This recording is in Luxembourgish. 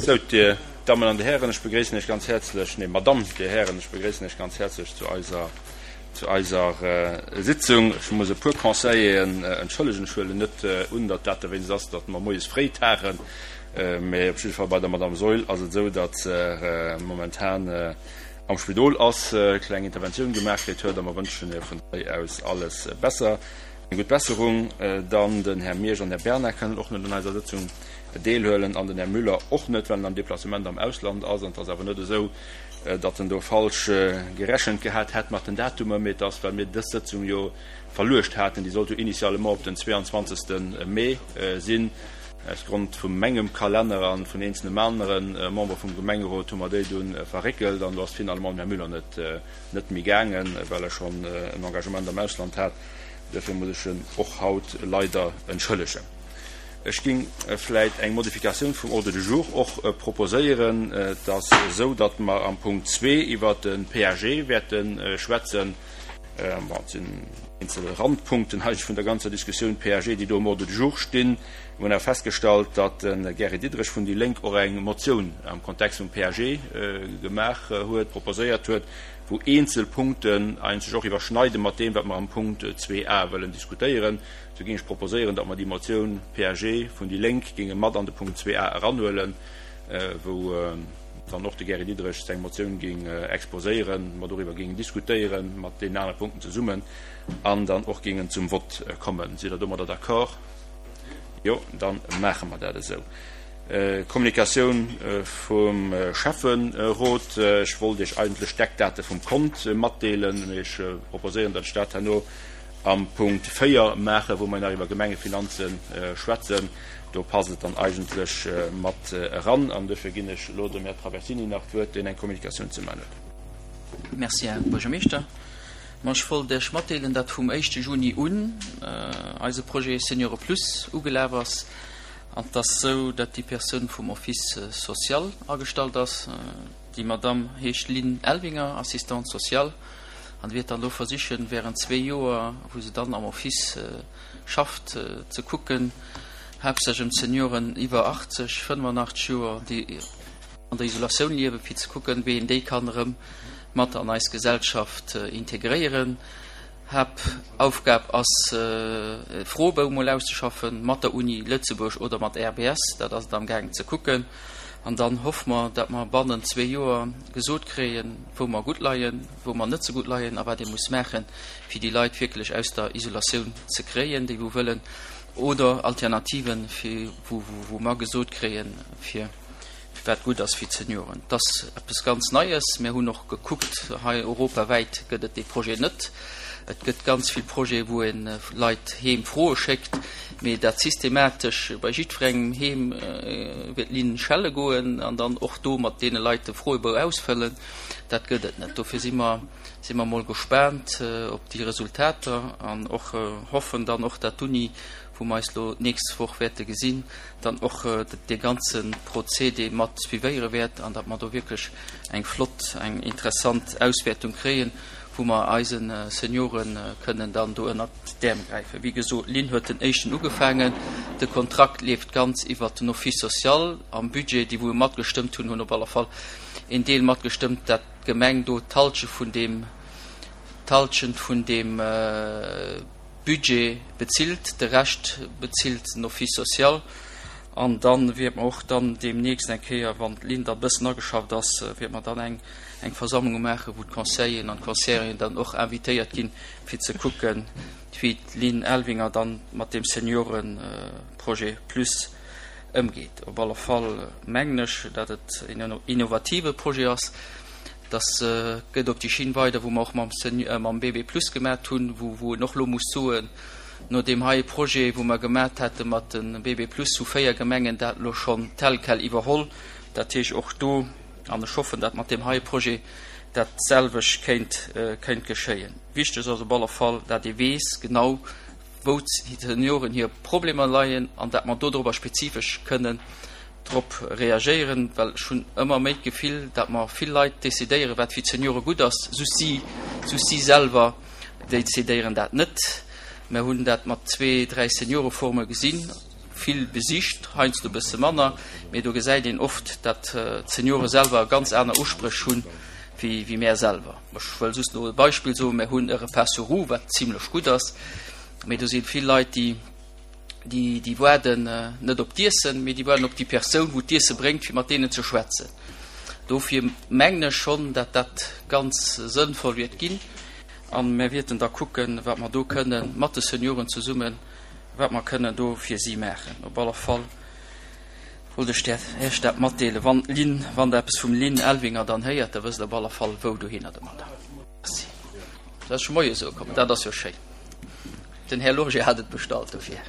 Sou, Dir Dammen an Dir Hären, ech begréissen Iech ganz häerzlech, nee, Madamm, Dir Hären, ech begréissen Iech ganz häerzlech zu eiser, zu eiser Sitzung. Ech muss e puer Conseilleren entschëllegen. Ech huelen net un, datt dat dowéinst ass, datt mer moies fréi tagen, mee op jidde Fall bei der Madamm Saeul ass et esou, datt se momentan am Spidol ass, kleng Interventioun gemaach kritt huet a mer wënschen hir vun hei aus alles besser, eng gutt Besserung. Dann den Här Miersch an den Här Bernard kënnen och net un eiser Sëtzung deelhuelen an den Här Müller och net, well en am Deplacement am Ausland ass. An et ass awer net esou, datt en do falsch gerechent gehat hätt mat den Datumer, mee et ass, well mir dës Sëtzung jo verluecht haten, déi sollt jo initialement op den 22. Mee sinn. Aus Grond vu mengem Kalenner a vun eenzelnem anere Member vum Gemengerot hu mer déi dunn verréckelt an do ass finalement den Här Müller net net méi gaangen, well e schonn en Engagement am Ausland hat. Duerfir muss ech en och haut leider entschëllegen. Ech géing vläit eng Modifikatioun vum Ordre du jour och proposéieren. Et ass esou, datt mer am Punkt zwee iwwert de PAG wäerte schwätzen. Bon, et sinn eenzel Randpunkten eigentlech vun der ganzer Diskussioun PAG, déi do um Ordre du jour stinn. Mir hunn awer festgestallt, datt de Gary Diderich vun déi Lénk och eng Motioun am Kontext vum PAG gemaach huet, proposéiert huet, wou eenzel Punkten eigentlech och iwwerschneide mat deem, wat mer am Punkt 2a wëllen diskutéieren. Sou géing ech proposéieren, datt mer déi Motioun PAG vun déi Lénk géinge mat an de Punkt 2a eranhuelen, wou dann och de Gary Diderich seng Motioun géing exposéieren, mer doriwwer géingen diskutéieren mat deenen anere Punkten zesummen an dann och géingen zum Vott kommen. Sidd Der domadder d'accord? Jo, da maache mer dat esou. Kommunikatioun vum Schäfferot. Ech wollt Iech eigentlech d'Eckdate vum Kont matdeelen, mee ech proposéieren, datt ech dat herno am Punkt 4 maachen, wou mer nach iwwer Gemengefinanze schwätzen. Do passt et dann eigentlech mat eran. An duerfir ginn ech elo dem Här Traversini nach d'Wuert, deen eng Kommunikatioun ze maachen huet. Merci, Här Buergermeeschter. Ma ech wollt Iech matdeelen, datt vum éischte Juni un eise Projet Seniore Plus ugelaf ass. An et ass esou, datt déi Persoun vum Office social agestallt ass. Déi Madamm heescht Lynn Elvinger, Assistante sociale, an wäert dann elo versichen, während zwee Joer, wou se dann am Office schafft, ze kucken, haaptsächlech ëm d'Senioren iwwer 80, 85 Joer, déi an der Isolatioun liewen, fir ze kucken, wéi een déi kann erëm mat an eis Gesellschaft integréieren. Haaptaufgab ass, e Froebou mol auszeschaffen, mat der Uni Lëtzebuerg oder mat RBS, dat ass et amgaangen ze kucken. An dann hoffe mer, datt mer bannent zwee Joer gesot kréien, wou mer gutt leien, wou mer net sou gutt leien a wat ee muss maachen, fir déi Leit wierklech aus der Isolatioun ze kréien, déi wou wëllen, oder Alternativen, fir wou wou mer gesot kréien, fir wat gutt ass fir d'Senioren. Et ass eppes ganz Neies. Mir hunn och gekuckt, hei europawäit gëtt et dee Projet net. Et gëtt ganz vill Projete wou ee Leit heem Froe schéckt, mee dat systematesch bei jiddwerengem heem wier d'Linn schelle goen an dann och do mat deene Leit de Froebou ausfëllen, dat gëtt et net. Dofir si mer si mer mol gespaant op déi Resultater an och hoffen dann och, dat d'Uni, wou mer eis elo d'nächst Woch wäerte gesinn, dann och dee ganze Procédé mat suivéiere wäert an datt mer do wierklech eng flott, eng interessant Auswäertung kréien, wou mer eise Seniore kënnen dann do ënnert d'Äerm gräifen. Wéi gesot, d'Linn huet den éischten ugefaangen. De Kontrakt leeft ganz iwwert den Office social. Am Budget, déi wou matgestëmmt hunn, hunn op alle Fall een Deel matgestëmmt, dat d'Gemeng do d'Halschent vun deem, d'Halschent vun deem Budget bezilt, de Rescht bezilt den Office social. An da wäerte mer och dann deemnächst eng Kéier, wann d'Linn da e bëssen ageschafft ass, wäerte mer dann eng eng Versammlung maachen, wou d'Conseilleren an d'Conseilleren dann och invitéiert ginn, fir ze kucken, wéi d'Lynn Elvinger dann mat deem Seniorenprojet Plus ëmgeet. Op alle Fall mengen ech, dat et en innovative Projet ass. Dass gëtt op déi Schinn weider, wou mer och mam mam BB Plus gemat hunn, wou wou en och elo muss soen, no deem heie Projet, wou mer gemat hate mat de BB Plus, hu 4 Gemengen dat elo schonn tel quel iwwerholl. Dat heescht och do, an ech hoffen, dat mat deem heie Projet dat selwecht kéint kéint geschéien. Wichteg ass op alle Fall, dat ee weess genau, wou d'Senioren hir Problemer leien an dat mer dodrobber spezifesch kënnen drop reagéieren, well ech hunn ëmmer méi d'Gefill, dat mer vill Leit decidéieren, wat fir d'Seniore gutt ass, just si, just si selwer decidéieren dat net. Mer hunn dat mat zwee, dräi Senioreforume gesinn. vill besicht, heiansdo e bësse manner, mee do gesäit een oft, dat d'Seniore selwer ganz aner Uspréch hunn wéi mär selwer. Ech wëll just elo e Beispill soen, Mär hunn e Repas sur roues, wat zimlech gutt ass, mee do si vill Leit, déi, déi, déi waarden net op d'Iessen, mee déi waarden op déi Persoun, wou d'Iesse bréngt, fir mat deenen ze schwätzen. Dofir mengen ech schonn, dat dat ganz sënnvoll wäert ginn. A mär wierten da kucken, wat mer do kënnen mat de Senioren zesummen, wat mer kënnen do fir si maachen. Op alle Fall wollt ech där Iech dat matdeelen. Wann d'Lynn, wann Der eppes vum Lynn Elvinger dann héiert, da wësst Der op alle Fall, wou dohinner domadder. Merci. Dat ass scho moies ukomm. Dat ass jo schéin. Den Här Lorgé hat et bestallt dofir.